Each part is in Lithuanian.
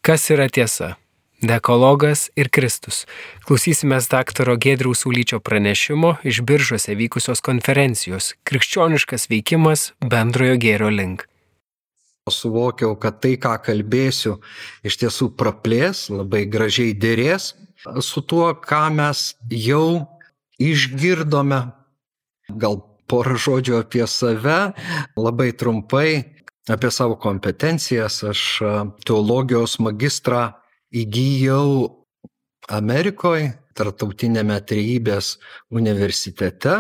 Kas yra tiesa? Dekalogas ir Kristus. Klausysimės daktaro Giedriaus Saulyčio pranešimo iš Biržuose vykusios konferencijos Krikščioniškas veikimas bendrojo gėrio link. Suvokiau, kad tai, ką kalbėsiu, iš tiesų praplės, labai gražiai dėrės su tuo, ką mes jau išgirdome. Gal porą žodžių apie save, labai trumpai apie savo kompetencijas. Aš teologijos magistrą įgijau Amerikoje, Tarptautinėme Trejybės universitete.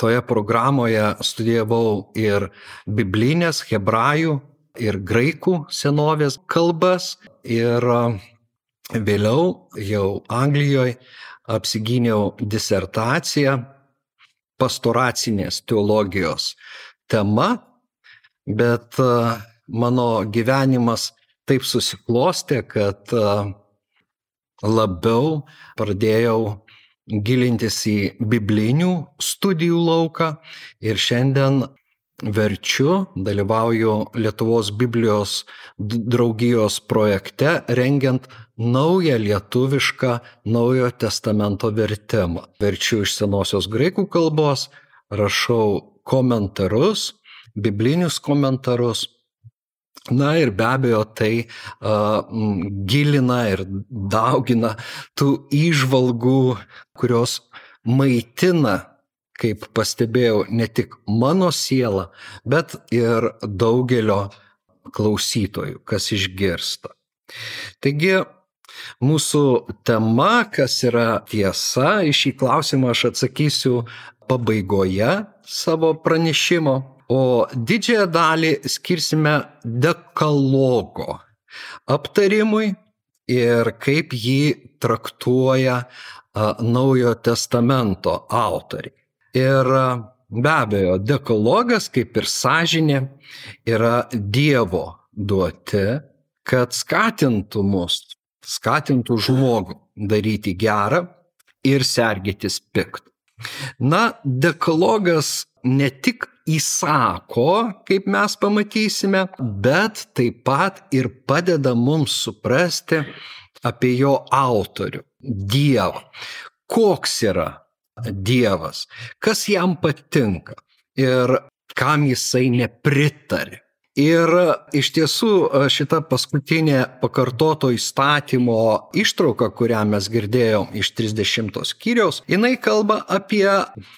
Toje programoje studijavau ir biblinės, hebrajų ir graikų senovės kalbas. Ir vėliau jau Anglijoje apsigyniau disertaciją pastoracinės teologijos tema, bet mano gyvenimas taip susiklostė, kad labiau pradėjau gilintis į biblinių studijų lauką ir šiandien verčiu, dalyvauju Lietuvos Biblijos draugijos projekte, rengiant naują lietuvišką Naujojo testamento vertimą. Verčiu iš senosios graikų kalbos, rašau komentarus, biblinius komentarus. Na ir be abejo tai gilina ir daugina tų įžvalgų, kurios maitina, kaip pastebėjau, ne tik mano sielą, bet ir daugelio klausytojų, kas išgirsta. Taigi, mūsų tema, kas yra tiesa, į šį klausimą aš atsakysiu pabaigoje savo pranešimo. O didžiąją dalį skirsime dekalogo aptarimui ir kaip jį traktuoja Naujojo testamento autoriai. Ir be abejo, dekalogas, kaip ir sąžinė, yra Dievo duoti, kad skatintų mus, skatintų žmogų daryti gerą ir sergėtis piktą. Na, dekalogas ne tik įsako, kaip mes pamatysime, bet taip pat ir padeda mums suprasti apie jo autorių, Dievą. Koks yra Dievas, kas jam patinka ir kam jisai nepritarė. Ir iš tiesų šita paskutinė pakartoto įstatymo ištrauka, kurią mes girdėjom iš 30 skyriaus, jinai kalba apie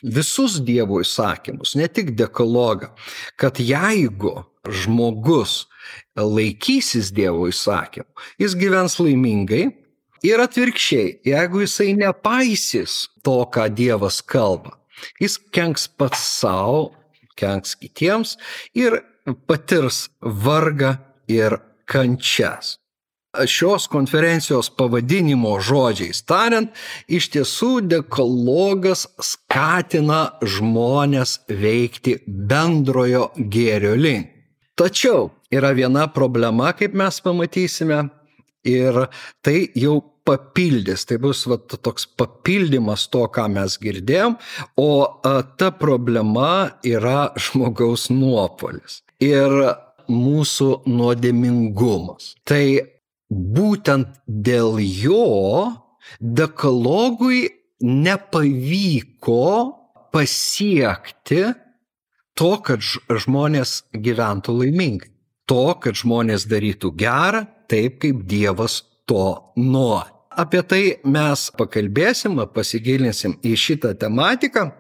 visus Dievo įsakymus, ne tik dekalogą, kad jeigu žmogus laikysis Dievo įsakymų, jis gyvens laimingai ir atvirkščiai, jeigu jisai nepaisys to, ką Dievas kalba, jis kenks pats savo, kenks kitiems ir patirs vargą ir kančias. Šios konferencijos pavadinimo žodžiais tariant, iš tiesų dekalogas skatina žmones veikti bendrojo gėrio link. Tačiau yra viena problema, kaip mes pamatysime, ir tai jau papildys, tai bus toks papildymas to, ką mes girdėjom, o ta problema yra žmogaus nuopuolis ir mūsų nuodėmingumas. Tai būtent dėl jo dekalogui nepavyko pasiekti to, kad žmonės gyventų laimingai, to, kad žmonės darytų gerą, taip kaip Dievas to nori. Apie tai mes pakalbėsim, pasigilinsim į šitą tematiką,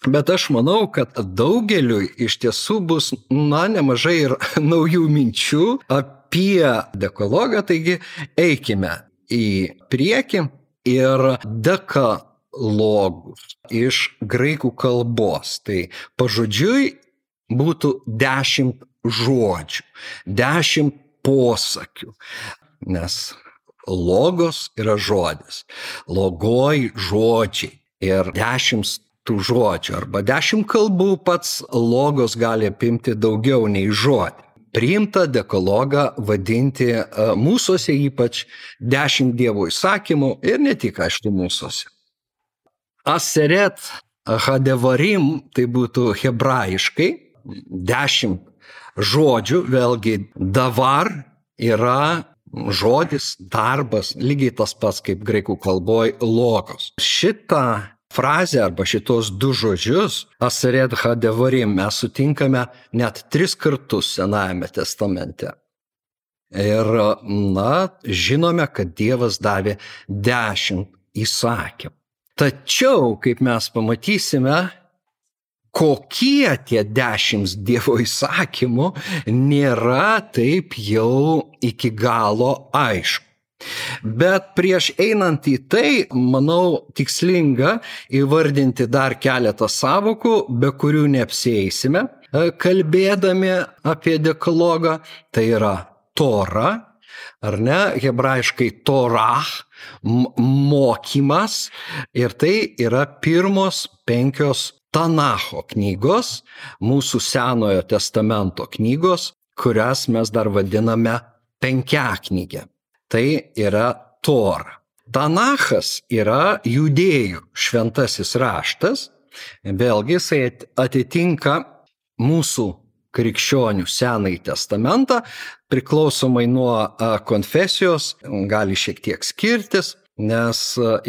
bet aš manau, kad daugeliui iš tiesų bus nemažai ir naujų minčių apie dekalogą, taigi eikime į priekį. Ir dekalogus iš graikų kalbos, tai pažodžiui būtų 10 žodžių, 10 posakių, nes logos yra žodis, logoj žodžiai ir 10 tų žodžių arba 10 kalbų pats logos gali apimti daugiau nei žodį. Priimta dekalogą vadinti mūsuose ypač 10 Dievo įsakymų ir ne tik, aišku, mūsuose. Aseret hadevarim, tai būtų hebrajiškai 10 žodžių, vėlgi davar yra žodis, darbas, lygiai tas pats kaip graikų kalboje logos. Šitą frazę arba šitos du žodžius, aseret hadevarim, mes sutinkame net 3 kartus Senajame testamente. Ir, žinome, kad Dievas davė 10 įsakymų. Tačiau, kaip mes pamatysime, kokie tie 10 Dievo įsakymų nėra taip jau iki galo aišku. Bet prieš einant į tai, manau, tikslinga įvardinti dar keletą sąvokų, be kurių neapsieisime, kalbėdami apie dekalogą. Tai yra Tora, ar ne, hebrajiškai Torah, mokymas, ir tai yra pirmos 5 Tanacho knygos, mūsų Senojo testamento knygos, kurias mes dar vadiname penkiaknygę. Tai yra Tora. Tanachas yra judėjų šventasis raštas, vėlgi jisai atitinka mūsų krikščionių Senąjį testamentą, priklausomai nuo konfesijos, gali šiek tiek skirtis, nes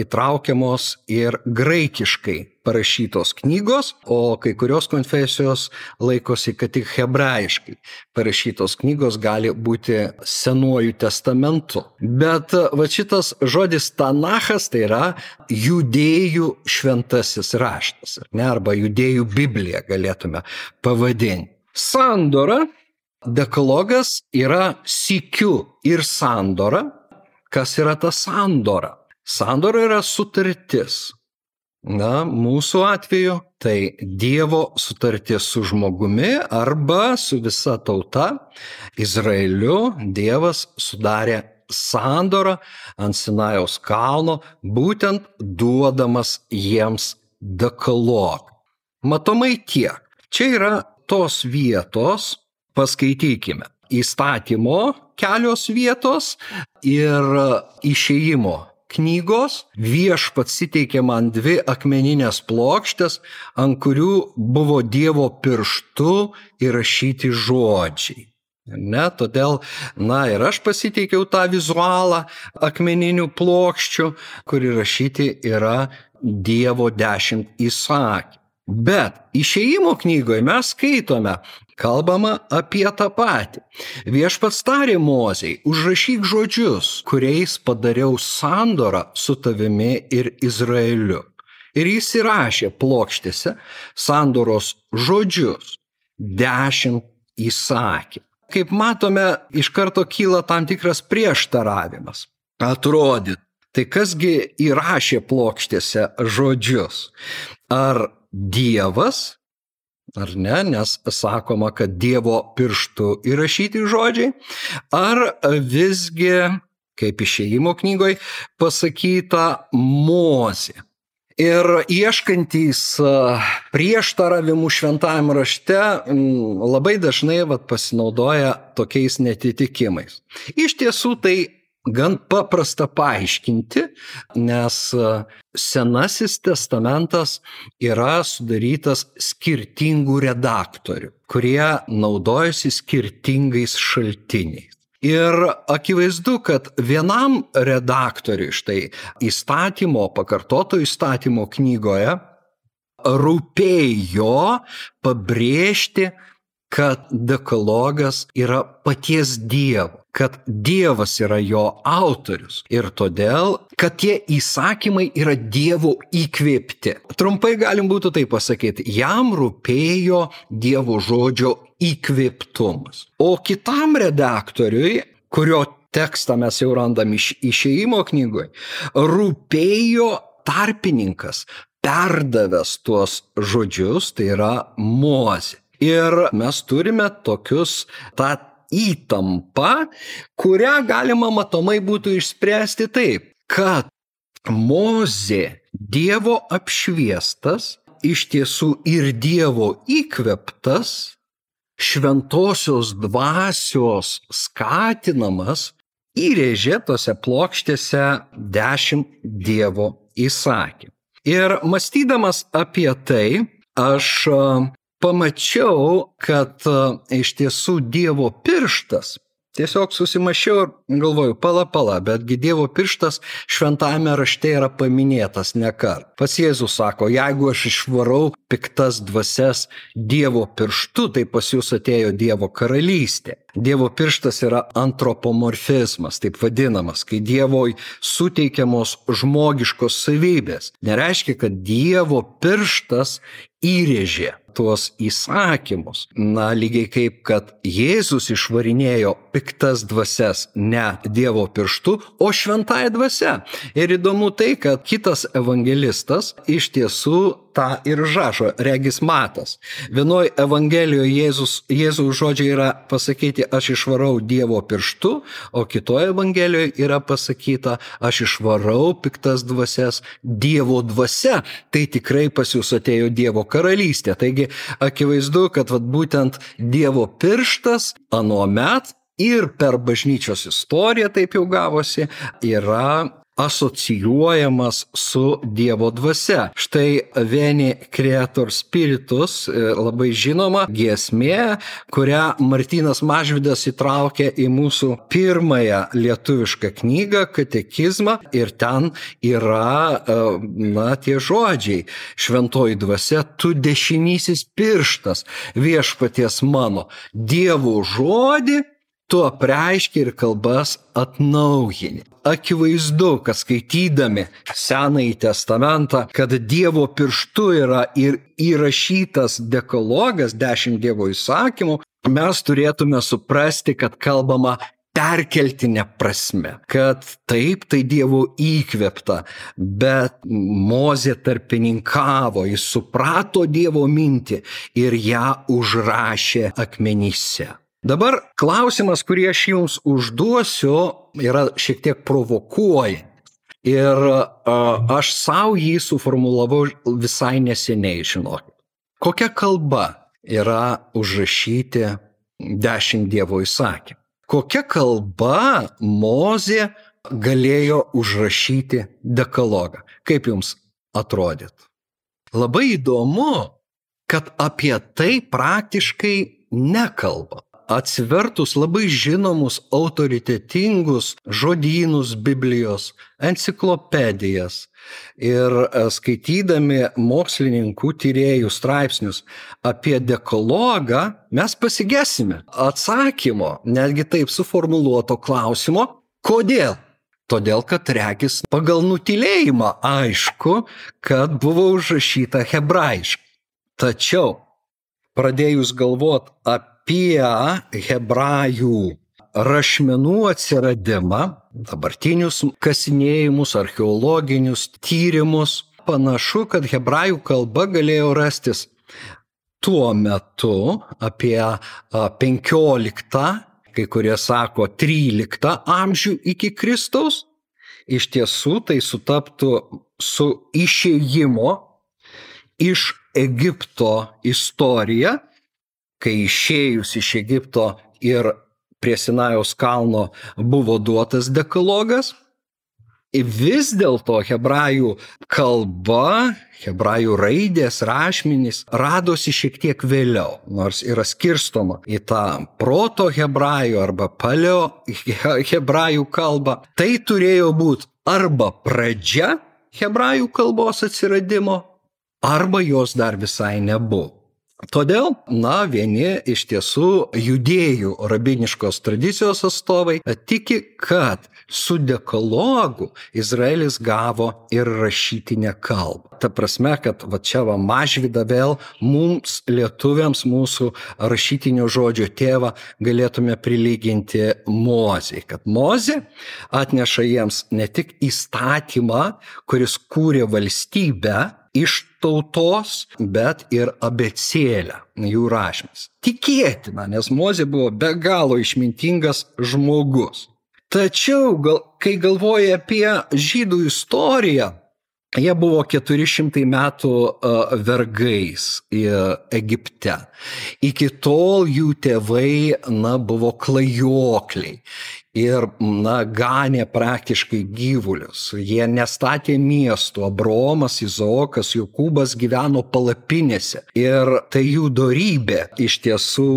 įtraukiamos ir graikiškai parašytos knygos, o kai kurios konfesijos laikosi, kad tik hebrajiškai parašytos knygos gali būti Senuoju testamentu. Bet šitas žodis Tanachas tai yra judėjų šventasis raštas, arba judėjų Biblija galėtume pavadinti. Sandora, dekalogas yra sykiu ir sandora. Kas yra ta sandora? Sandora yra sutartis. Mūsų atveju tai Dievo sutartis su žmogumi arba su visa tauta. Izraeliu Dievas sudarė sandorą ant Sinajaus kalno, būtent duodamas jiems dekalogą. Matomai tiek. Čia yra tos vietos, paskaitykime, įstatymo kelios vietos ir išėjimo knygos. Viešpats suteikė man 2 akmeninės plokštės, ant kurių buvo Dievo pirštu įrašyti žodžiai. Todėl, ir aš pasiteikiau tą vizualą akmeninių plokščių, kur įrašyti yra Dievo 10 įsakymų. Bet išėjimo knygoje mes skaitome, kalbama apie tą patį. Viešpats tarė Mozei, užrašyk žodžius, kuriais padariau sandorą su tavimi ir Izraeliu. Ir jis įrašė plokštėse sandoros žodžius, 10 įsakymų. Kaip matome, iš karto kyla tam tikras prieštaravimas. Atrodyt, tai kasgi įrašė plokštėse žodžius? Ar Dievas, ar ne, nes sakoma, kad Dievo pirštu įrašyti žodžiai, ar visgi, kaip išėjimo knygoje pasakyta, Mozė. Ir ieškantys prieštaravimų šventajame rašte labai dažnai pasinaudoja tokiais netitikimais. Iš tiesų tai gan paprasta paaiškinti, nes Senasis testamentas yra sudarytas skirtingų redaktorių, kurie naudojasi skirtingais šaltiniais. Ir akivaizdu, kad vienam redaktoriui štai pakartoto įstatymo knygoje rūpėjo pabrėžti, kad dekalogas yra paties Dievo, kad Dievas yra jo autorius ir todėl, kad tie įsakymai yra Dievo įkvėpti. Trumpai galim būtų tai pasakyti, jam rūpėjo Dievo žodžio įkvėptumas. O kitam redaktoriui, kurio tekstą mes jau randam išėjimo knygoje, rūpėjo tarpininkas, perdavęs tuos žodžius, tai yra Mozė. Ir mes turime tą įtampą, kurią galima matomai būtų išspręsti taip, kad Mozė Dievo apšviestas, iš tiesų ir Dievo įkvėptas, šventosios dvasios skatinamas, įrėžė tose plokštėse 10 Dievo įsakymų. Ir mąstydamas apie tai, aš pamačiau, kad iš tiesų Dievo pirštas, tiesiog susimašiau ir galvoju, pala, betgi Dievo pirštas šventame rašte yra paminėtas nekart. Pats Jėzus sako, jeigu aš išvarau piktas dvasias Dievo pirštu, tai pas jūs atėjo Dievo karalystė. Dievo pirštas yra antropomorfizmas, taip vadinamas, kai Dievoj suteikiamos žmogiškos savybės. Nereiškia, kad Dievo pirštas įrėžė tuos įsakymus. Lygiai kaip, kad Jėzus išvarinėjo piktas dvasias ne Dievo pirštu, o šventąja dvasia. Ir įdomu tai, kad kitas evangelistas iš tiesų tą ir rašo, regis Matas. Vienoj evangelijoje Jėzaus žodžiai yra pasakyti, aš išvarau Dievo pirštu, o kitoje evangelijoje yra pasakyta, aš išvarau piktas dvasias Dievo dvasia. Tai tikrai pas jūs atėjo Dievo karalystė. Taigi akivaizdu, kad būtent Dievo pirštas anuomet ir per bažnyčios istoriją, taip jau gavosi, yra asocijuojamas su Dievo dvasia. Štai Veni Creator Spiritus, labai žinoma giesmė, kurią Martynas Mažvydas įtraukė į mūsų pirmąją lietuvišką knygą Katekizmą, ir ten yra tie žodžiai: šventoji dvasia, tu dešinysis pirštas viešpaties mano, Dievo žodį tu apreiški ir kalbas atnaujini. Akivaizdu, kad skaitydami Senąjį testamentą, kad Dievo pirštu yra ir įrašytas dekalogas, 10 Dievo įsakymų, mes turėtume suprasti, kad kalbama perkeltinė prasme, kad taip, tai Dievo įkvėpta, bet Mozė tarpininkavo, jis suprato Dievo mintį ir ją užrašė akmenyse. Dabar klausimas, kurį aš jums užduosiu, yra šiek tiek provokuojantis. Ir aš savo jį suformulavau visai neseniai, žinokit. Kokia kalba yra užrašyti 10 Dievo įsakymų? Kokia kalba Mozė galėjo užrašyti dekalogą? Kaip jums atrodytų? Labai įdomu, kad apie tai praktiškai nekalba. Atsivertus labai žinomus autoritetingus žodynus Biblijos, enciklopedijas ir skaitydami mokslininkų tyrėjų straipsnius apie dekalogą, mes pasigesime atsakymo, netgi taip suformuluoto klausimo, kodėl? Todėl, kad regis pagal nutylėjimą aišku, kad buvo užrašyta hebrajiškai. Tačiau pradėjus galvoti apie hebrajų rašmenų atsiradimą, dabartinius kasinėjimus, archeologinius tyrimus, panašu, kad hebrajų kalba galėjo rastis tuo metu apie 15, kai kurie sako 13 amžių iki Kristaus. Iš tiesų tai sutaptų su išėjimo iš Egipto istorija, kai išėjus iš Egipto ir prie Sinajaus kalno buvo duotas dekalogas. Vis dėlto hebrajų kalba, hebrajų raidės, rašmenys radosi šiek tiek vėliau, nors yra skirstoma į tą proto hebrajų arba paleo hebrajų kalbą. Tai turėjo būti arba pradžia hebrajų kalbos atsiradimo, arba jos dar visai nebuvo. Todėl, vieni iš tiesų judėjų rabiniškos tradicijos atstovai tiki, kad su dekalogu Izraelis gavo ir rašytinę kalbą. Ta prasme, kad čia Mažvydą vėl mums, lietuviams, mūsų rašytinio žodžio tėvą galėtume prilyginti Mozei. Kad Mozė atneša jiems ne tik įstatymą, kuris kūrė valstybę iš tautos, bet ir abėcėlę jų rašmenis. Tikėtina, nes Mozė buvo be galo išmintingas žmogus. Tačiau, kai galvoja apie žydų istoriją, jie buvo 400 metų vergais Egipte. Iki tol jų tėvai buvo klajokliai. ir, ganė praktiškai gyvulius. Jie nestatė miestų. Abraomas, Izaokas, Jokūbas gyveno palapinėse. Ir tai jų dorybė iš tiesų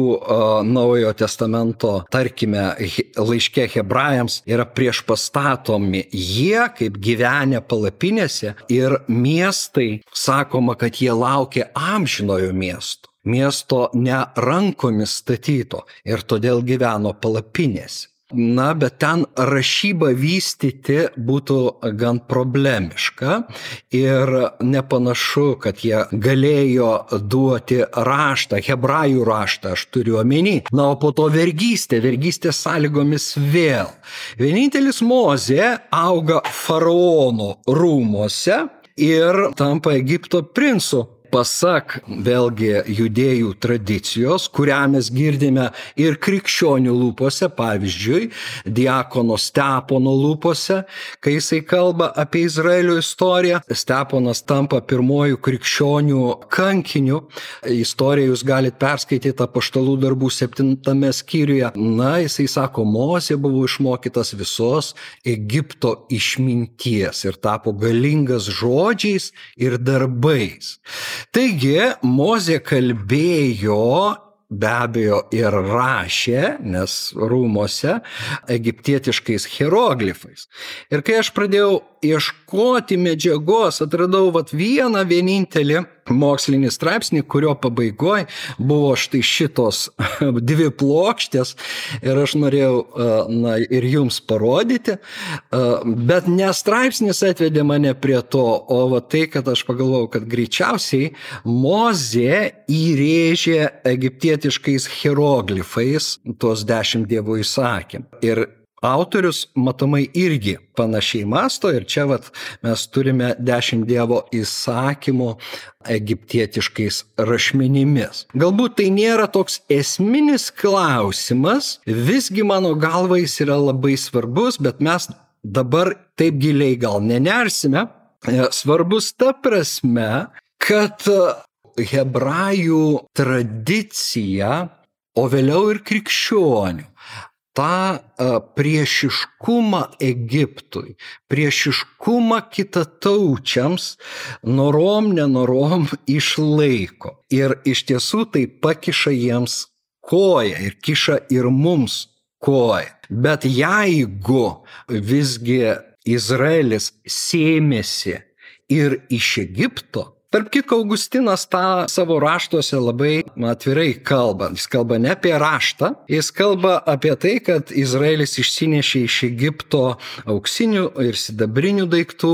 Naujojo testamento, tarkime, laiške Hebrajams yra priešpastatomi. Jie, kaip gyvenę palapinėse, ir miestai, sakoma, kad jie laukė amžinojo miesto ne rankomis statyto, ir todėl gyveno palapinėse. Bet ten rašybą vystyti būtų gan problemiška ir nepanašu, kad jie galėjo duoti raštą, hebrajų raštą, aš turiu omeny. O po to vergystės sąlygomis vėl. Vienintelis Mozė auga faraono rūmuose ir tampa Egipto princu. Pasak vėlgi judėjų tradicijos, kurią mes girdime ir krikščionių lūpose, pavyzdžiui, diakono Stepono lūpose, kai jisai kalba apie Izraelio istoriją. Steponas tampa pirmojų krikščionių kankiniu. Istoriją jūs galite perskaityti Apaštalų darbų 7 skyriuje. Jisai sako, Mozė buvo išmokytas visos Egipto išminties ir tapo galingas žodžiais ir darbais. Taigi, Mozė kalbėjo, be abejo, ir rašė, nes rūmuose, egiptietiškais hieroglifais. Ir kai aš pradėjau ieškoti medžiagos, atradau vieną vienintelį mokslinį straipsnį, kurio pabaigoje buvo štai šitos 2 plokštės, ir aš norėjau ir jums parodyti, bet ne straipsnis atvedė mane prie to, o tai, kad aš pagalvojau, kad greičiausiai Mozė įrėžė egiptietiškais hieroglifais tuos 10 Dievo įsakymų. Ir autorius matomai irgi panašiai masto, ir čia mes turime 10 Dievo įsakymų egiptietiškais rašmenimis. Galbūt tai nėra toks esminis klausimas, visgi mano galva jis yra labai svarbus, bet mes dabar taip giliai gal nenersime. Svarbus ta prasme, kad hebrajų tradicija, o vėliau ir krikščionių, tą priešiškumą Egiptui, priešiškumą kitataučiams norom išlaiko. Ir iš tiesų tai pakiša jiems koją ir kiša ir mums koją. Bet jeigu visgi Izraelis sėmėsi ir iš Egipto, tarp kitko, Augustinas tą savo raštuose labai atvirai kalba. Jis kalba ne apie raštą, jis kalba apie tai, kad Izraelis išsinešė iš Egipto auksinių ir sidabrinių daiktų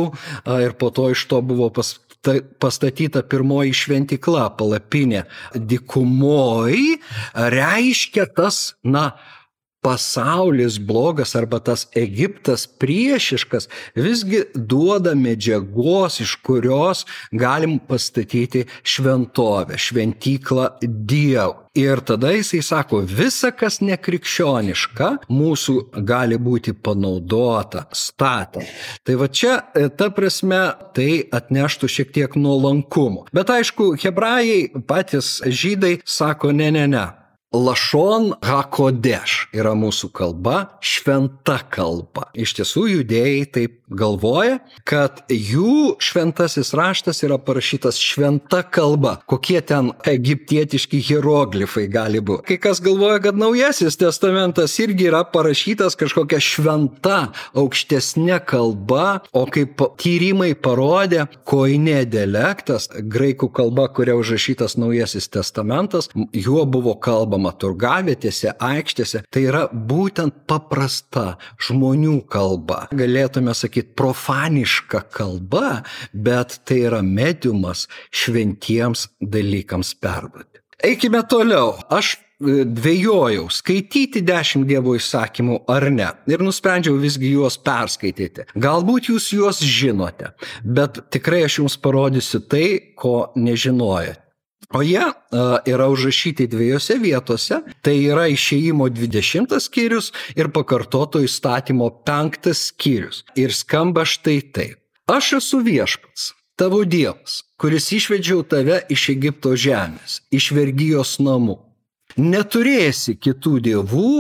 ir po to iš to buvo pastatyta pirmoji šventykla, palapinė. Dykumoj reiškia tas, pasaulis blogas arba tas Egiptas priešiškas visgi duoda medžiagos, iš kurios galim pastatyti šventovę, šventyklą Dievui. Ir tada jisai sako, visa, kas nekrikščioniška, mūsų gali būti panaudota statant. Tai čia, ta prasme, tai atneštų šiek tiek nuolankumo. Bet aišku, hebrajai, patys žydai, sako, ne. Lashon HaKodesh yra mūsų kalba, šventa kalba. Iš tiesų, judėjai taip galvoja, kad jų šventasis raštas yra parašytas šventa kalba. Kokie ten egiptietiški hieroglifai gali būti. Kai kas galvoja, kad Naujasis testamentas irgi yra parašytas kažkokia šventa, aukštesnė kalba, o kaip tyrimai parodė, koine dialektas, graikų kalba, kuria užrašytas Naujasis testamentas, juo buvo kalbama turgavietėse, aikštėse, tai yra būtent paprasta žmonių kalba. Galėtume sakyti profaniška kalba, bet tai yra mediumas šventiems dalykams perduoti. Eikime toliau. Aš dvejojau, skaityti 10 Dievo įsakymų ar ne. Ir nusprendžiau visgi juos perskaityti. Galbūt jūs juos žinote, bet tikrai aš jums parodysiu tai, ko nežinojate. O jie yra užrašyti 2 vietose, tai yra Išėjimo 20 skyrius ir Pakartoto įstatymo 5 skyrius. Ir skamba štai taip. Aš esu viešpats, tavo Dievas, kuris išvedžiau tave iš Egipto žemės, iš vergijos namų. Neturėsi kitų dievų,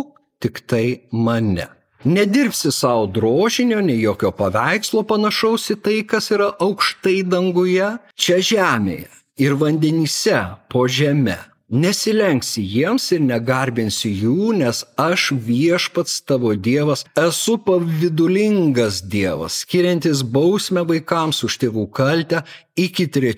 tik tai mane. Nedirbsi savo drožinio, nei jokio paveikslo panašaus į tai, kas yra aukštai danguje, čia žemėje ir vandenyse po žeme. Nesilenksi jiems ir negarbinsi jų, nes aš Viešpats tavo Dievas esu pavydulingas Dievas, skiriantis bausmę vaikams už tėvų kaltę iki 3.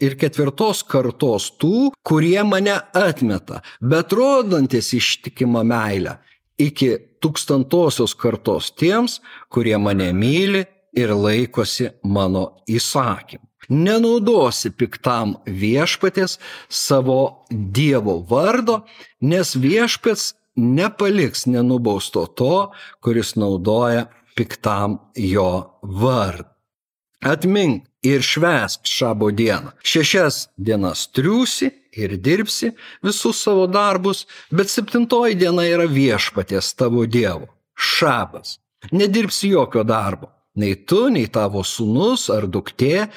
ir 4. kartos tų, kurie mane atmeta, bet rodantis ištikimą meilę iki 1000 kartos tiems, kurie mane myli ir laikosi mano įsakymų. Nenaudosi piktam Viešpaties savo Dievo vardo, nes Viešpats nepaliks nenubausto to, kuris naudoja piktam jo vardą. Atmink ir švęsk šabo dieną. 6 dienas triūsi ir dirbsi visus savo darbus, bet 7. diena yra Viešpaties tavo Dievo. Šabas. Nedirbsi jokio darbo. Nei tu, nei tavo sūnus ar duktė,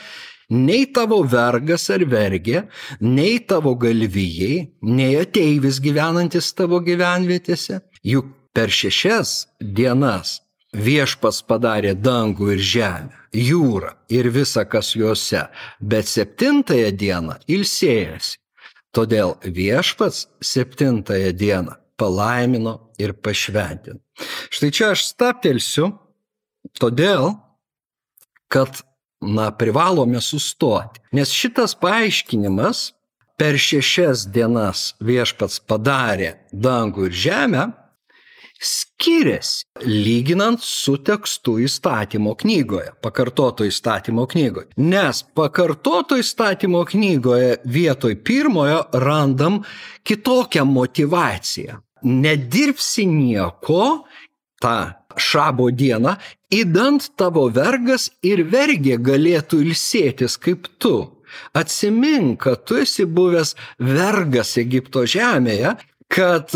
nei tavo vergas ar vergė, nei tavo galvijai, nei ateivis gyvenantis tavo gyvenvietėse. Juk per 6 dienas Viešpats padarė dangų ir žemę, jūrą ir visa, kas juose, bet 7. dieną ilsėjosi. Todėl Viešpats 7. dieną palaimino ir pašventino. Štai čia aš stabtelsiu, todėl, kad privalome sustoti. Nes šitas paaiškinimas per 6 dienas Viešpats padarė dangų ir žemę skiriasi, lyginant su tekstu įstatymo knygoje, pakartoto įstatymo knygoje. Nes pakartoto įstatymo knygoje vietoj 1 randam kitokią motivaciją. Nedirbsi nieko tą šabo dieną, idant tavo vergas ir vergė galėtų ilsėtis kaip tu. Atsimink, kad tu esi buvęs vergas Egipto žemėje, kad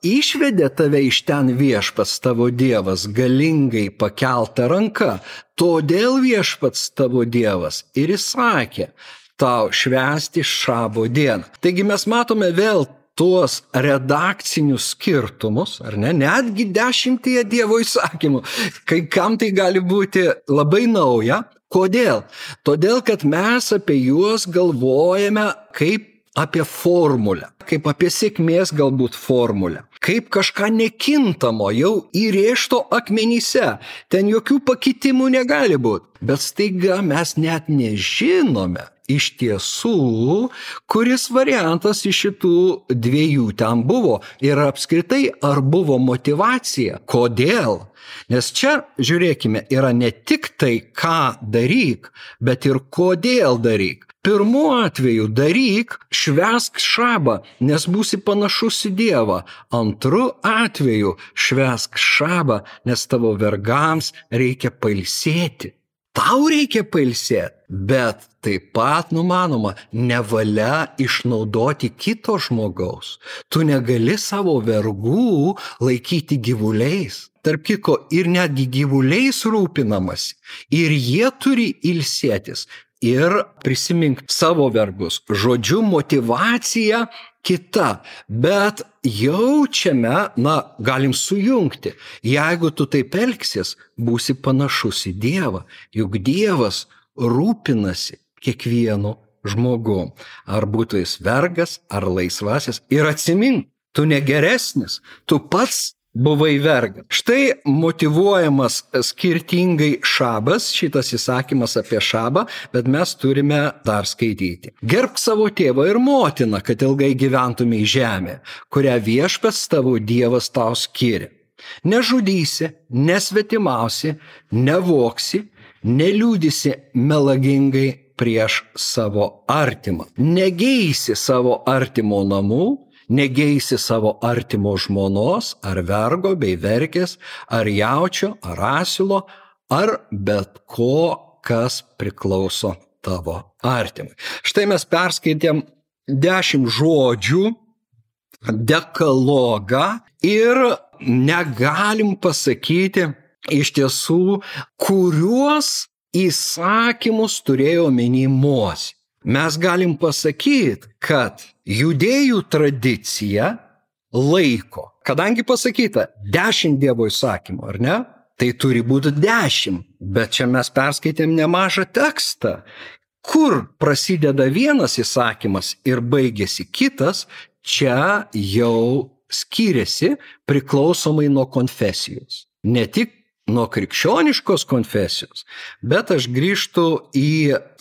išvedė tave iš ten Viešpats tavo Dievas galingai pakelta ranka. Todėl Viešpats tavo Dievas ir įsakė tau švęsti šabo dieną. Taigi mes matome vėl tuos redakcinius skirtumus, ar ne, netgi 10 Dievo įsakymų. Kai kam tai gali būti labai nauja. Kodėl? Todėl, kad mes apie juos galvojame kaip apie formulę, kaip apie sėkmės galbūt formulę, kaip kažką nekintamo jau įrėžto akmenyse. Ten jokių pakitimų negali būti. Bet staiga mes net nežinome iš tiesų, kuris variantas iš šitų 2 ten buvo ir apskritai ar buvo motyvacija. Kodėl? Nes čia, žiūrėkime, yra ne tik tai, ką daryk, bet ir kodėl daryk. Pirmu atveju daryk, švęsk šabą, nes būsi panašus į Dievą. Antru atveju švęsk šabą, nes tavo vergams reikia pailsėti. Tau reikia pailsėti, bet taip pat numanoma, nevalia išnaudoti kito žmogaus. Tu negali savo vergų laikyti gyvuliais. Tarp kitko, ir netgi gyvuliais rūpinamasi, ir jie turi ilsėtis. Ir prisimink savo vergus. Žodžiu, motyvacija kita, bet jaučiame, galim sujungti. Jeigu tu taip elgsies, būsi panašus į Dievą, juk Dievas rūpinasi kiekvienu žmogum. Ar būtų jis vergas, ar laisvasis. Ir atsimink, tu negeresnis, tu pats buvai vergas. Štai motyvuojamas skirtingai šabas, šitas įsakymas apie šabą, bet mes turime dar skaityti. Gerbk savo tėvą ir motiną, kad ilgai gyventumei žemė, kurią Viešpats tavo Dievas tau skiria. Nežudysi, nesvetimausi, nevoksi, neliūdysi melagingai prieš savo artimą. Negeisi savo artimo namų, negeisi savo artimo žmonos, ar vergo bei vergės, ar jaučio, ar asilo, ar bet ko, kas priklauso tavo artimui. Štai mes perskaitėm 10 žodžių, dekalogą ir negalim pasakyti iš tiesų, kuriuos įsakymus turėjo omeny Mozė. Mes galim pasakyti, kad judėjų tradicija laiko kadangi pasakyta 10 Dievo įsakymų, ar ne? Tai turi būti 10, bet čia mes perskaitėm nemažą tekstą. Kur prasideda vienas įsakymas ir baigėsi kitas, čia jau skiriasi priklausomai nuo konfesijos. Ne tik nuo krikščioniškos konfesijos, bet aš grįžtu į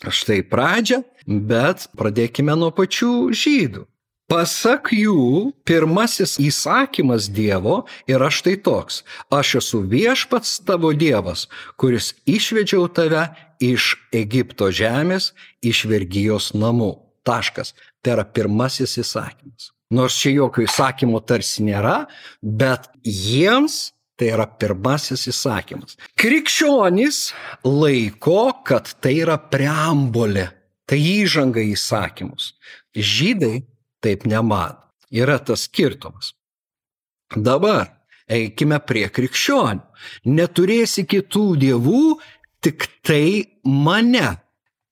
štai pradžią, bet pradėkime nuo pačių žydų. Pasak jų, pirmasis įsakymas Dievo yra štai toks: aš esu viešpats tavo Dievas, kuris išvedžiau tave iš Egipto žemės, iš vergijos namų. Taškas. Tai yra pirmasis įsakymas. Nors čia jokio įsakymo tarsi nėra, bet jiems tai yra pirmasis įsakymas. Krikščionys laiko, kad tai yra preambulė, tai įžanga į įsakymus. Žydai taip nemano. Yra tas skirtumas. Dabar eikime prie krikščionių. Neturėsi kitų dievų, tik tai mane.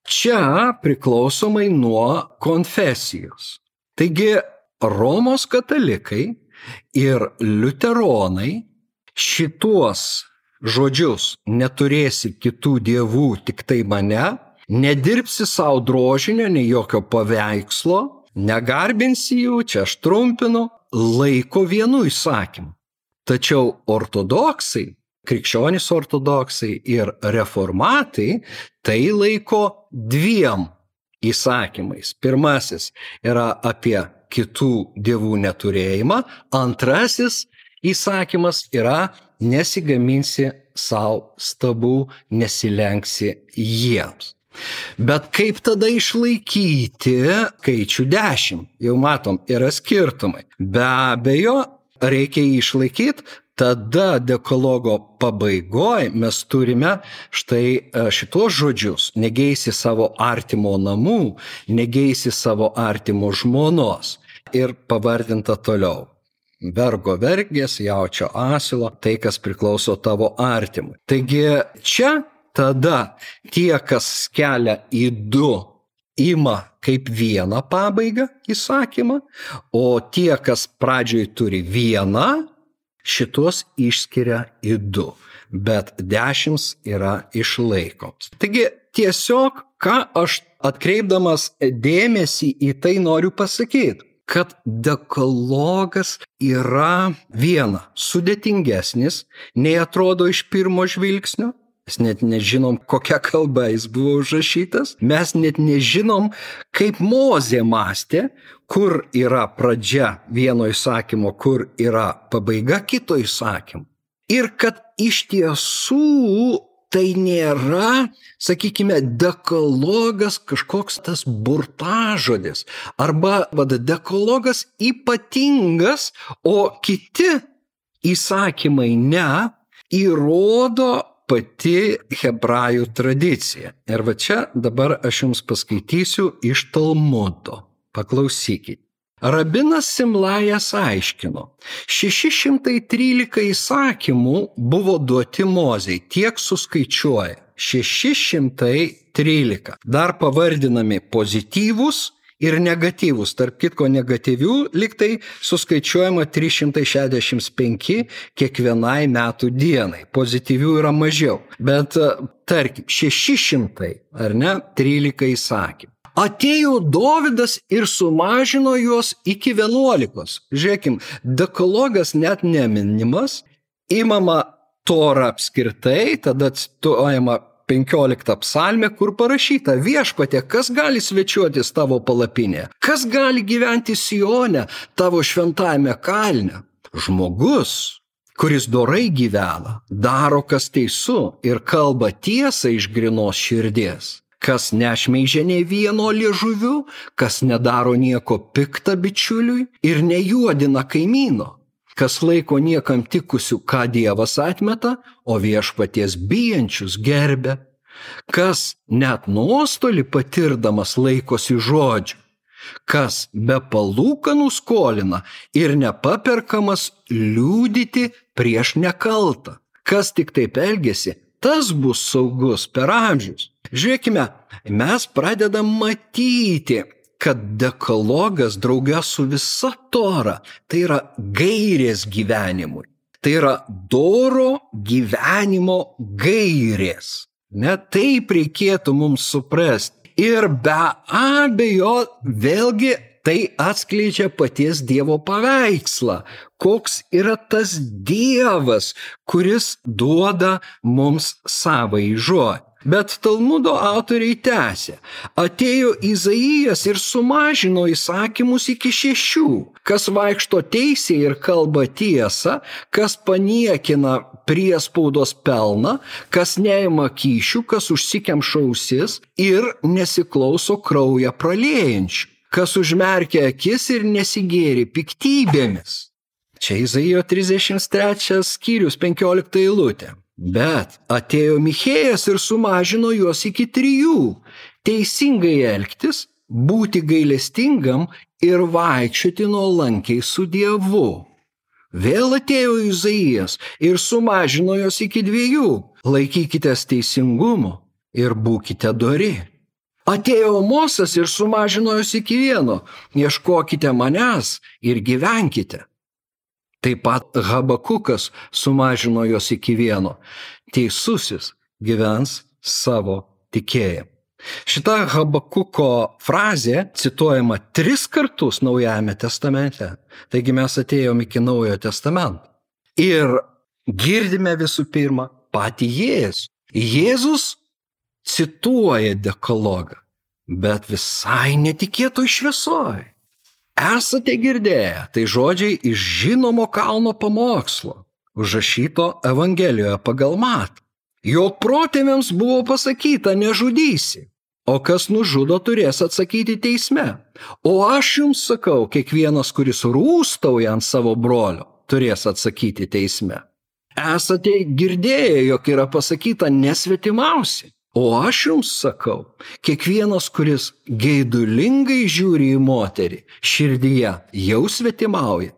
Čia priklausomai nuo konfesijos. Taigi Romos katalikai ir liuteronai šituos žodžius neturėsi kitų dievų, tik tai mane, nedirbsi savo drožinio, nei jokio paveikslo, negarbinsi jų, čia aš trumpinu, laiko vienu įsakymu. Tačiau ortodoksai, krikščionys ortodoksai ir reformatai tai laiko 2 įsakymais. Pirmasis yra apie kitų dievų neturėjimą, antrasis įsakymas yra nesigaminsi savo stabų, nesilenksi jiems. Bet kaip tada išlaikyti skaičių 10? Jau matom, yra skirtumai. Be abejo, reikia jį išlaikyti, tada dekalogo pabaigoje mes turime štai šitos žodžius: negeisi savo artimo namų, negeisi savo artimo žmonos. Ir pavardinta toliau: vergo vergės, jaučio asilo, tai kas priklauso tavo artimui. Taigi čia tada tie, kas kelia į 2, ima kaip vieną pabaigą įsakymą, o tie, kas pradžioj turi 1, šitos išskiria į 2, bet 10 yra išlaikoms. Taigi tiesiog, ką aš atkreipdamas dėmesį į tai noriu pasakyti, kad dekalogas yra sudėtingesnis, nei atrodo iš pirmo žvilgsnio. Mes net nežinom, kokia kalba jis buvo užrašytas. Mes net nežinom, kaip Mozė mąstė, kur yra pradžia vieno įsakymo, kur yra pabaiga kito įsakymo. Ir kad iš tiesų tai nėra, sakykime, dekalogas kažkoks tas burtažodis. Arba dekalogas ypatingas, o kiti įsakymai ne, įrodo pati hebrajų tradicija. Ir va čia dabar aš jums paskaitysiu iš Talmudo. Paklausykite. Rabinas Simlajas aiškino, 613 įsakymų buvo duoti Mozei, tiek suskaičiuoja. 613. Dar pavardinami pozityvūs ir negatyvūs. Tarp kitko negatyvių liktai suskaičiuojama 365 kiekvienai metų dienai. Pozityvių yra mažiau. Bet tarkim, 600, ar ne, 13 įsakymų. Atėjo Dovydas ir sumažino juos iki 11. Žiūrėkim, dekalogas net neminimas, imama Tora apskritai, tada cituojama 15 psalmė, kur parašyta: viešpatie, kas gali svečiuotis tavo palapinėje? Kas gali gyventi Sione, tavo šventajame kalne? Žmogus, kuris dorai gyvena, daro kas teisu ir kalba tiesą iš grynos širdies. Kas nešmeižia nei vieno liežuviu, kas nedaro nieko pikta bičiuliui ir nejuodina kaimyno. Kas laiko niekam tikusių, ką Dievas atmeta, o viešpaties bijančius gerbia. Kas net nuostolį patirdamas laikosi žodžių. Kas be palūkanų skolina ir nepaperkamas liudyti prieš nekaltą. Kas tik taip elgiasi, tas bus saugus per amžius. Žiūrėkime, mes pradedam matyti, kad dekalogas drauge su visa Tora tai yra gairės gyvenimui. Tai yra doro gyvenimo gairės. Net taip reikėtų mums suprasti. Ir be abejo, vėlgi tai atskleidžia paties Dievo paveikslą. Koks yra tas Dievas, kuris duoda mums savąjį žodį. Bet Talmudo autoriai tęsė. Atėjo Izaijas ir sumažino įsakymus iki 6. Kas vaikšto teisėje ir kalba tiesą, kas paniekina priespaudos pelną, kas neima kyšių, kas užsikemša ausis ir nesiklauso kraują praliejančių, kas užmerkia akis ir nesigėri piktybėmis. Čia Izaijo 33 skyrius 15 eilutė. Bet atėjo Michėjas ir sumažino juos iki 3. Teisingai elgtis, būti gailestingam ir vaikščioti nuolankiai su Dievu. Vėl atėjo Izaijas ir sumažino juos iki 2. Laikykitės teisingumo ir būkite dori. Atėjo Amosas ir sumažino juos iki 1. Ieškokite manęs ir gyvenkite. Taip pat Habakukas sumažino juos iki 1. Teisusis gyvens savo tikėjimu. Šita Habakuko frazė cituojama 3 kartus Naujajame testamente. Taigi mes atėjome iki Naujojo testamento. Ir girdime visų pirma patį Jėzų. Jėzus cituoja dekalogą, bet visai netikėtoj šviesoj. Esate girdėję, tai žodžiai iš žinomo kalno pamokslo, užrašyto Evangelijoje pagal Matą. Jog protėviams buvo pasakyta nežudysi, o kas nužudo turės atsakyti teisme. O aš jums sakau, kiekvienas, kuris rūstauja ant savo brolio, turės atsakyti teisme. Esate girdėję, jog yra pasakyta nesvetimausi. O aš jums sakau, kiekvienas, kuris geidulingai žiūri į moterį, širdyje jau svetimauja.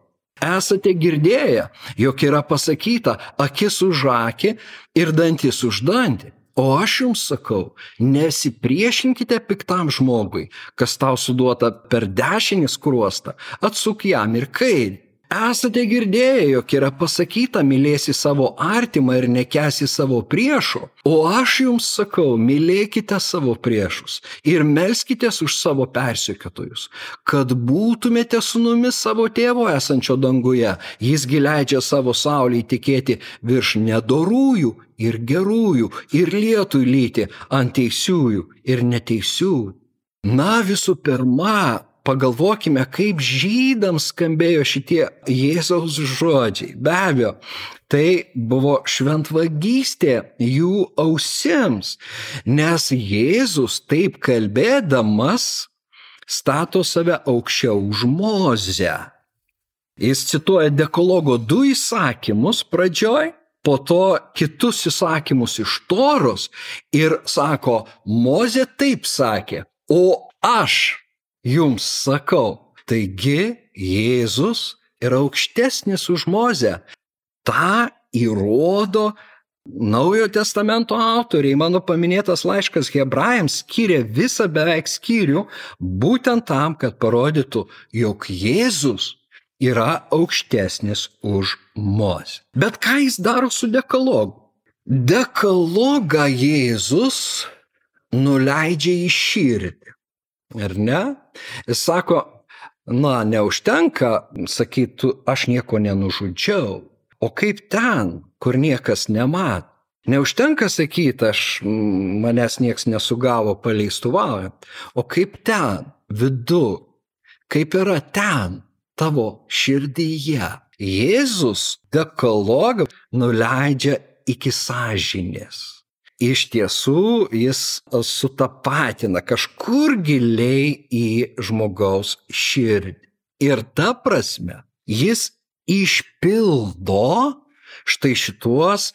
Esate girdėję, jog yra pasakyta akis už akį ir dantis už dantį. O aš jums sakau, nesipriešinkite piktam žmogui, kas tau suduota per dešinį skruostą, atsuk jam ir kairį. Esate girdėję, jog yra pasakyta, mylėsi savo artimą ir nekęsi savo priešo. O aš jums sakau, mylėkite savo priešus ir melskitės už savo persekiotojus, kad būtumėte sūnumis savo tėvo esančio danguje. Jisgi leidžia savo saulei tekėti virš nedorųjų ir gerųjų ir lietui lyti ant teisiųjų ir neteisiųjų. Na, visų pirma, pagalvokime, kaip žydams skambėjo šitie Jėzaus žodžiai. Be abejo, tai buvo šventvagystė jų ausims, nes Jėzus taip kalbėdamas stato save aukščiau už Mozę. Jis cituoja dekalogo 2 įsakymus pradžioj, po to kitus įsakymus iš Toros ir sako, Mozė taip sakė, o aš jums sakau. Taigi Jėzus yra aukštesnis už Mozę. Ta įrodo Naujojo testamento autoriai. Mano paminėtas laiškas Hebrajams skyrė visą beveik skyrių būtent tam, kad parodytų, jog Jėzus yra aukštesnis už Mozę. Bet ką jis daro su dekalogu? Dekalogą Jėzus nuleidžia į širdį. Ar ne? Jis sako, neužtenka sakyti, aš nieko nenužudžiau. O kaip ten, kur niekas nemat? Neužtenka sakyti, manęs nieks nesugavo paleistuvaujant. O kaip ten, vidu? Kaip yra ten, tavo širdyje? Jėzus dekalogą nuleidžia iki sąžinės. Iš tiesų, jis sutapatina kažkur giliai į žmogaus širdį. Ir ta prasme, jis išpildo štai šituos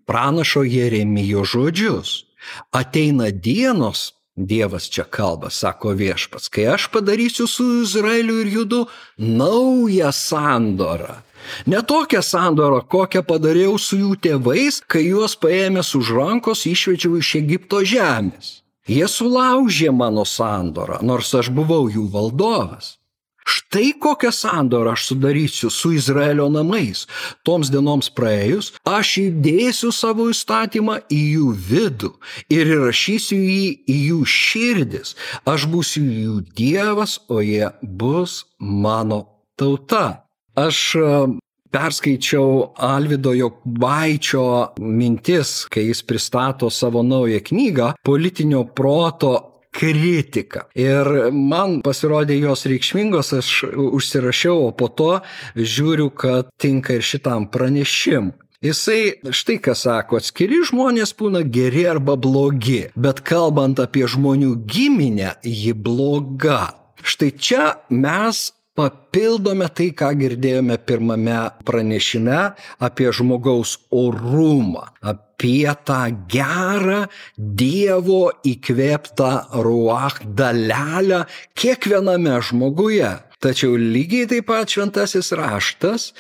pranašo Jeremijo žodžius. Ateina dienos, Dievas čia kalba, sako Viešpats, kai aš padarysiu su Izraeliu ir Judu naują sandorą. Ne tokią sandorą, kokią padariau su jų tėvais, kai juos paėmęs už rankos išvedžiau iš Egipto žemės. Jie sulaužė mano sandorą, nors aš buvau jų valdovas. Štai kokią sandorą aš sudarysiu su Izraelio namais. Toms dienoms praėjus, aš įdėsiu savo įstatymą į jų vidų ir įrašysiu jį į jų širdis. Aš būsiu jų Dievas, o jie bus mano tauta. Aš perskaičiau Alvydo Jokubaičio mintis, kai jis pristato savo naują knygą Politinio proto kritika. Ir man pasirodė jos reikšmingos, aš užsirašiau, o po to žiūriu, kad tinka ir šitam pranešimui. Jisai štai ką sako, atskiri žmonės būna geri arba blogi, bet kalbant apie žmonių giminę, ji bloga. Štai čia mes papildome tai, ką girdėjome pirmame pranešime apie žmogaus orumą, apie tą gerą Dievo įkvėptą ruach dalelę kiekviename žmoguje. Tačiau lygiai taip pat šventasis raštas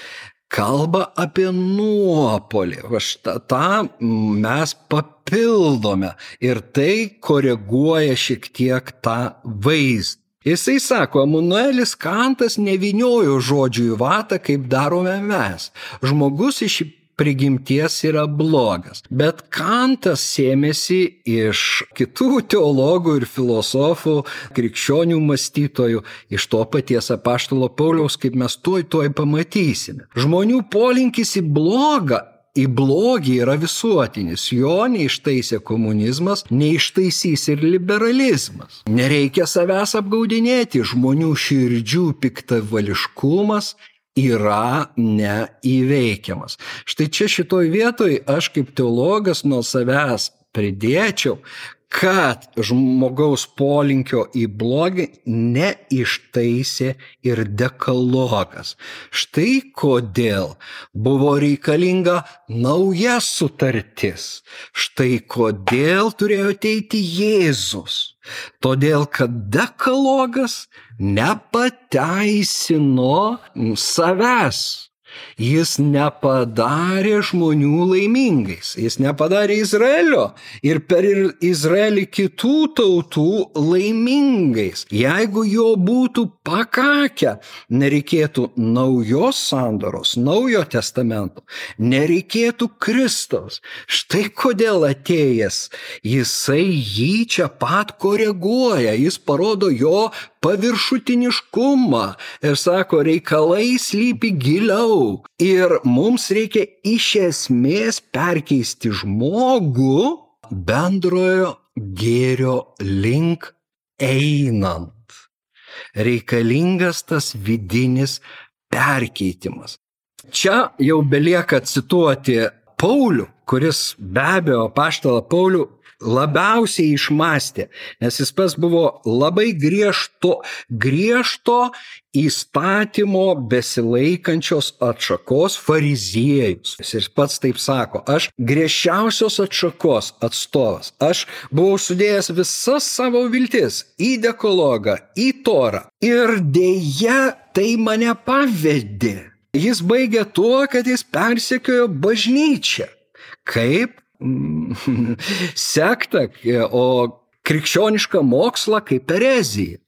kalba apie nuopolį. Tą mes papildome ir tai koreguoja šiek tiek tą vaizdą. Jisai sako, Emanuelis Kantas nevyniojo žodžių į vatą, kaip darome mes. Žmogus iš prigimties yra blogas. Bet Kantas sėmėsi iš kitų teologų ir filosofų, krikščionių mąstytojų, iš to paties apaštalo Pauliaus, kaip mes tuoj pamatysime. Žmonių polinkis į blogį yra visuotinis. Jo neištaisė komunizmas, neištaisys ir liberalizmas. Nereikia savęs apgaudinėti, žmonių širdžių piktavališkumas yra neįveikiamas. Štai čia šitoj vietoj aš kaip teologas nuo savęs pridėčiau, kad žmogaus polinkio į blogį neištaisė ir dekalogas. Štai kodėl buvo reikalinga nauja sutartis. Štai kodėl turėjo ateiti Jėzus. Todėl, kad dekalogas nepateisino savęs. Jis nepadarė žmonių laimingais, jis nepadarė Izraelio ir per Izraelį kitų tautų laimingais. Jeigu jo būtų pakakę, nereikėtų naujos sandoros, naujo testamento, nereikėtų Kristaus. Štai kodėl atėjęs, jisai jį čia pat koreguoja, jis parodo jo paviršutiniškumą ir sako, reikalai slypi giliau ir mums reikia iš esmės perkeisti žmogų bendrojo gėrio link einant. Reikalingas tas vidinis perkeitimas. Čia jau belieka cituoti Paulių, kuris be abejo apaštalą Paulių labiausiai išmąstė, nes jis pats buvo labai griežto įstatymo besilaikančios atšakos fariziejus. Jis pats taip sako, aš griežčiausios atšakos atstovas, aš buvau sudėjęs visas savo viltis į dekalogą, į Torą ir dėja tai mane pavedė. Jis baigė tuo, kad jis persekiojo bažnyčią. Kaip? Sektą, o krikščionišką mokslą kaip erezija.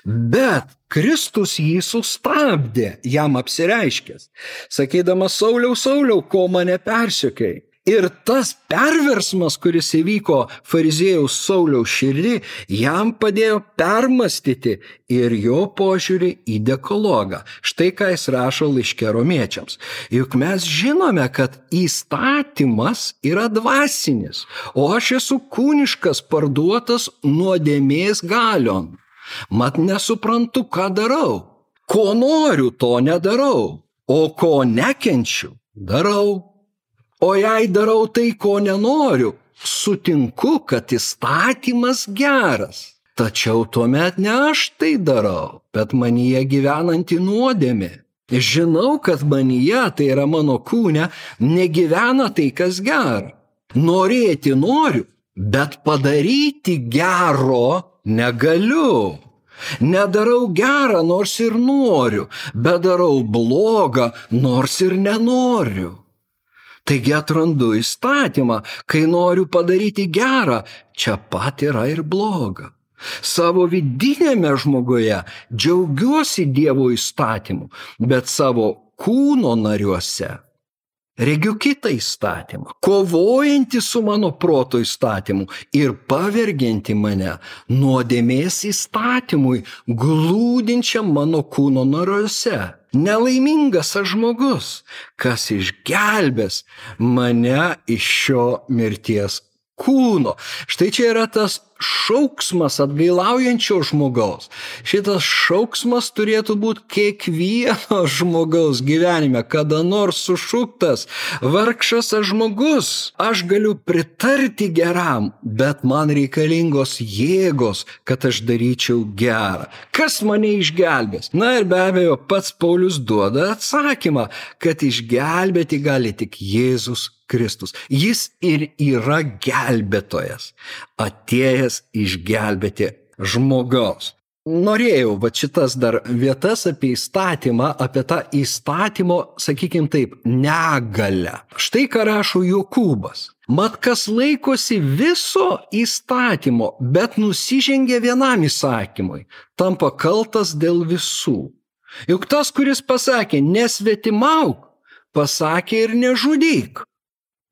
Bet Kristus jį sustabdė, jam apsireiškęs, sakydamas, Sauliau, ko mane persekioji? Ir tas perversmas, kuris įvyko fariziejaus Sauliaus širdį, jam padėjo permastyti ir jo požiūrį į dekalogą. Štai ką jis rašo laiške Romiečiams. Juk mes žinome, kad įstatymas yra dvasinis, o aš esu kūniškas, parduotas nuodėmės galion. Mat nesuprantu, ką darau. Ko noriu, to nedarau, o ko nekenčiu, darau. O jei darau tai, ko nenoriu, sutinku, kad įstatymas geras. Tačiau tuomet ne aš tai darau, bet manyje gyvenanti nuodėmė. Žinau, kad manyje, tai yra mano kūne, negyvena tai, kas gera. Norėti noriu, bet padaryti gero negaliu. Nedarau gerą, nors ir noriu, bet darau blogą, nors ir nenoriu. Taigi atrandu įstatymą, kai noriu padaryti gerą, čia pat yra ir bloga. Savo vidinėme žmoguje džiaugiuosi Dievo įstatymu, bet savo kūno nariuose regiu kitą įstatymą, kovojantį su mano proto įstatymu ir pavergiantį mane nuodėmės įstatymui, glūdinčiam mano kūno nariuose. Nelaimingas aš žmogus, kas išgelbės mane iš šio mirties kūno. Štai čia yra tas šauksmas atgailaujančio žmogaus. Šitas šauksmas turėtų būti kiekvieno žmogaus gyvenime, kada nors sušuktas, vargšas aš žmogus, aš galiu pritarti geram, bet man reikalingos jėgos, kad aš daryčiau gerą. Kas mane išgelbės? Na ir be abejo, pats Paulius duoda atsakymą, kad išgelbėti gali tik Jėzus Kristus. Jis ir yra gelbėtojas, atėjęs išgelbėti žmogaus. Norėjau šitas dar vietas apie įstatymą, apie tą įstatymo, sakykime taip, negalę. Štai ką rašo Jokūbas. Mat kas laikosi viso įstatymo, bet nusižengia vienam įsakymui, tampa kaltas dėl visų. Juk tas, kuris pasakė nesvetimauk, pasakė ir nežudyk.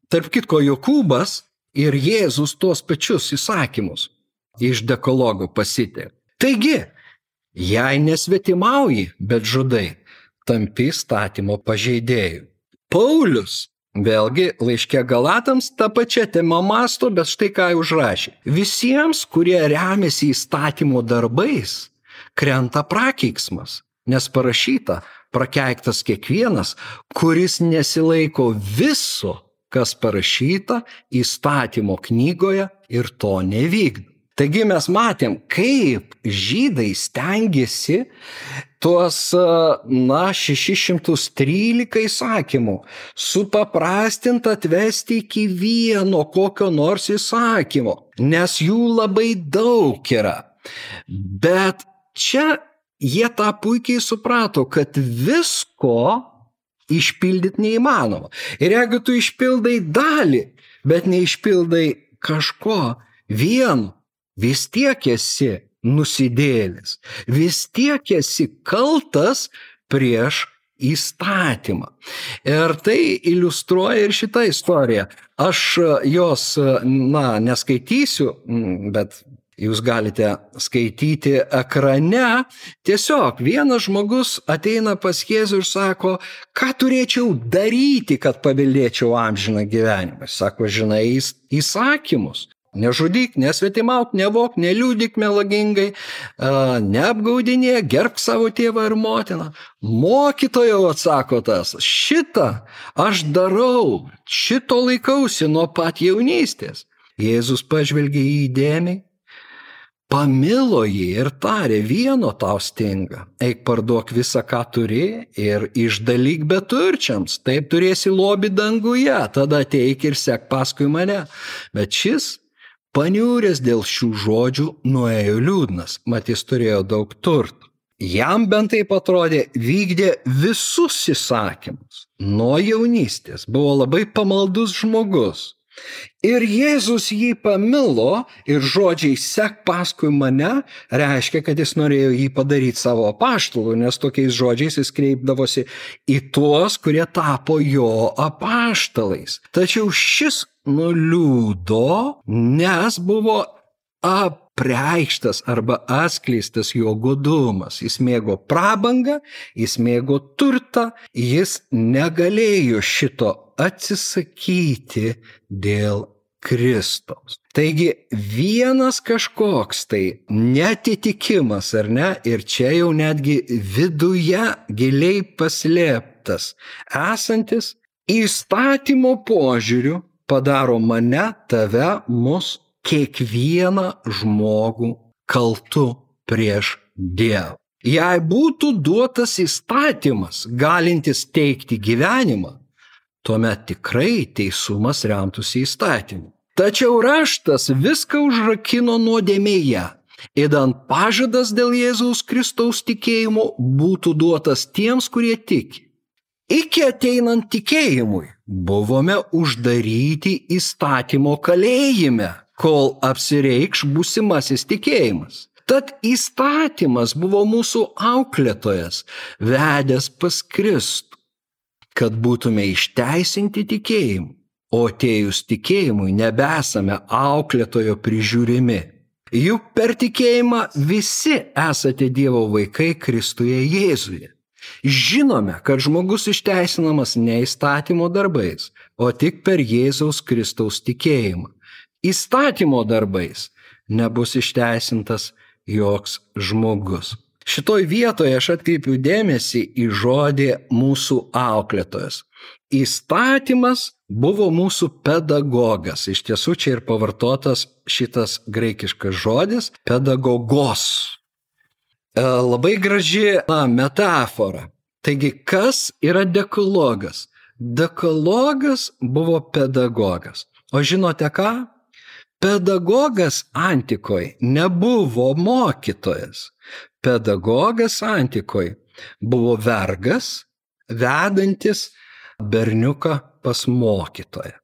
Tarp kitko, Jokūbas ir Jėzus tuos pačius įsakymus iš dekalogo pasitė. Taigi, jei nesvetimauji, bet žudai, tampi įstatymo pažeidėjų. Paulius, vėlgi, laiške Galatams tą pačią temą mąsto, bet štai ką užrašė. Visiems, kurie remiasi įstatymo darbais, krenta prakeiksmas, nes parašyta, prakeiktas kiekvienas, kuris nesilaiko viso, kas parašyta įstatymo knygoje ir to nevykdo. Taigi mes matėm, kaip žydai stengiasi tuos, 613 įsakymų supaprastint atvesti iki vieno kokio nors įsakymo, nes jų labai daug yra. Bet čia jie tą puikiai suprato, kad visko išpildyti neįmanoma. Ir jeigu tu išpildai dalį, bet neišpildai kažko vieno, vis tiek esi nusidėlis, vis tiek esi kaltas prieš įstatymą. Ir tai iliustruoja ir šitą istoriją. Aš jos, neskaitysiu, bet jūs galite skaityti ekrane. Tiesiog vienas žmogus ateina pas Jėzų ir sako, ką turėčiau daryti, kad paveldėčiau amžiną gyvenimą. Sako, žinai įsakymus. Nežudyk, nesvetimauk, nevok, neliūdik melagingai, neapgaudinėk, gerbk savo tėvą ir motiną. Mokytojau, atsako tas, šitą aš darau, šito laikausi nuo pat jaunystės. Jėzus pažvelgė jį įdėmiai, pamilo jį ir tarė, vieno tau stinga, eik parduok visą, ką turi ir išdalyk beturčiams, taip turėsi lobį danguje, tada ateik ir sek paskui mane. Bet šis, paniūręs dėl šių žodžių, nuėjo liūdnas, mat jis turėjo daug turtų. Jam bent taip atrodė, vykdė visus įsakymus. Nuo jaunystės buvo labai pamaldus žmogus. Ir Jėzus jį pamilo ir žodžiai sek paskui mane reiškia, kad jis norėjo jį padaryti savo apaštalu, nes tokiais žodžiais jis kreipdavosi į tuos, kurie tapo jo apaštalais. Tačiau šis nuliūdo, nes buvo apreikštas arba atskleistas jo godumas. Jis mėgo prabangą, jis mėgo turtą, jis negalėjo šito atsisakyti dėl Kristaus. Taigi vienas kažkoks tai neatitikimas, ar ne, ir čia jau netgi viduje giliai paslėptas esantis įstatymo požiūriu padaro mane, tave, mus, kiekvieną žmogų kaltu prieš Dievą. Jei būtų duotas įstatymas, galintis teikti gyvenimą, tuomet tikrai teisumas remtųsi įstatymu. Tačiau raštas viską užrakino nuodėmėje, idant pažadas dėl Jėzaus Kristaus tikėjimo būtų duotas tiems, kurie tiki. Iki ateinant tikėjimui buvome uždaryti įstatymo kalėjime, kol apsireikš būsimasis tikėjimas. Tad įstatymas buvo mūsų auklėtojas, vedęs pas Kristų, kad būtume išteisinti tikėjimu, o atėjus tikėjimui nebesame auklėtojo prižiūrimi. Juk per tikėjimą visi esate Dievo vaikai Kristuje Jėzuje. Žinome, kad žmogus išteisinamas ne įstatymo darbais, o tik per Jėzaus Kristaus tikėjimą. Įstatymo darbais nebus išteisintas joks žmogus. Šitoj vietoje aš atkreipiu dėmesį į žodį mūsų auklėtojas. Įstatymas buvo mūsų pedagogas. Iš tiesų čia ir pavartotas šitas graikiškas žodis pedagogos. Labai graži metafora. Taigi, kas yra dekalogas? Dekalogas buvo pedagogas. O žinote ką? Pedagogas antikoje nebuvo mokytojas. Pedagogas antikoje buvo vergas, vedantis berniuką pas mokytoją.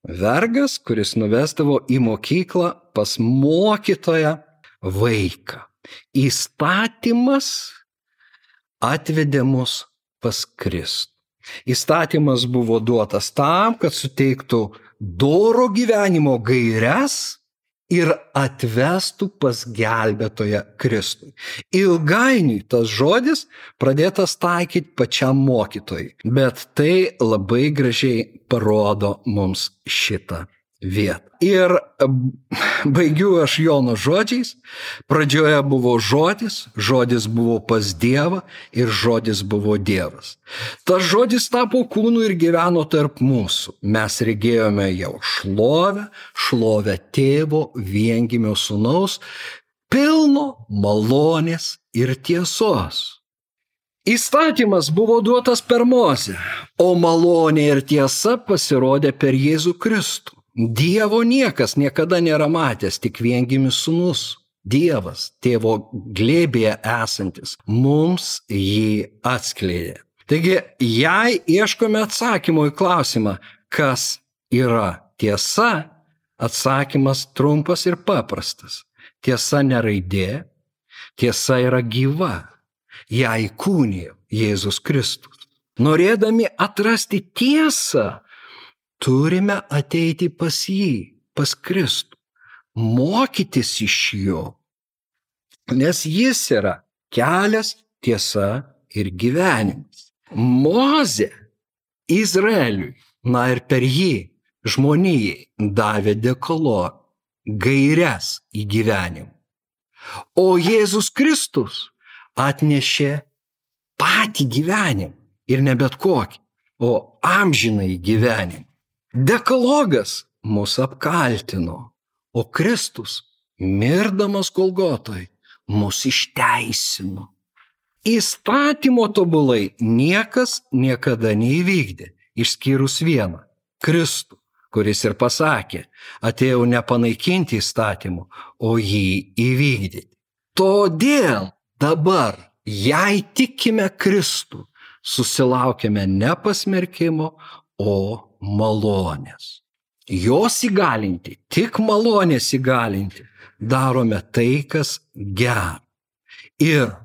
Vergas, kuris nuvesdavo į mokyklą pas mokytoją vaiką. Įstatymas atvedė mus pas Kristų. Įstatymas buvo duotas tam, kad suteiktų doro gyvenimo gaires ir atvestų pas gelbėtoją Kristui. Ilgainiui tas žodis pradėtas taikyti pačiam mokytojui, bet tai labai gražiai parodo mums šitą vietą. Ir baigiu aš Jono žodžiais. Pradžioje buvo žodis, žodis buvo pas Dievą ir žodis buvo Dievas. Tas žodis tapo kūnu ir gyveno tarp mūsų. Mes regėjome jau šlovę Tėvo viengimio Sūnaus, pilno malonės ir tiesos. Įstatymas buvo duotas per Mozę, o malonė ir tiesa pasirodė per Jėzų Kristų. Dievo niekas niekada nėra matęs, tik viengimis Sūnus, Dievas, Tėvo glėbyje esantis, mums jį atskleidė. Taigi, jei ieškome atsakymo į klausimą, kas yra tiesa, atsakymas trumpas ir paprastas. Tiesa ne raidė, tiesa yra gyva. Ją įkūnijo Jėzus Kristus. Norėdami atrasti tiesą, turime ateiti pas jį, pas Kristų, mokytis iš jo, nes jis yra kelias, tiesa ir gyvenimas. Mozė Izraeliui, ir per jį žmonijai davė dekalogą, gaires į gyvenimą. O Jėzus Kristus atnešė patį gyvenimą ir ne bet kokį, o amžinąjį gyvenimą. Dekalogas mus apkaltino, o Kristus, mirdamas Golgotoj, mus išteisino. Įstatymo tobulai niekas niekada neįvykdė, išskyrus vieną – Kristų, kuris ir pasakė, atėjau ne panaikinti įstatymų, o jį įvykdyti. Todėl dabar, jei tikime Kristų, susilaukėme ne pasmerkimo, o malonės. Jos įgalinti, tik malonės įgalinti, darome tai, kas gera. Ir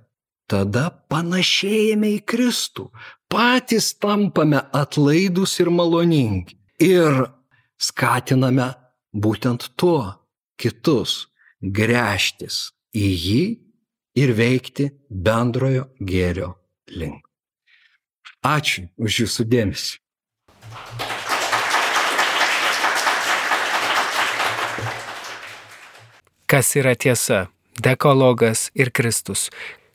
tada panašėjame į Kristų, patys tampame atlaidūs ir maloningi. Ir skatiname būtent tuo kitus gręžtis į jį ir veikti bendrojo gėrio link. Ačiū už jūsų dėmesį. Kas yra tiesa? Dekalogas ir Kristus.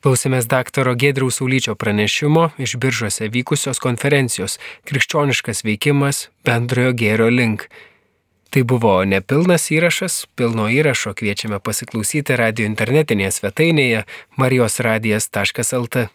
Klausėmės daktaro Giedriaus Saulyčio pranešimo iš Biržuose vykusios konferencijos Krikščioniškas veikimas bendrojo gėrio link. Tai buvo nepilnas įrašas, pilno įrašo kviečiame pasiklausyti radijo internetinėje svetainėje marijosradijas.lt.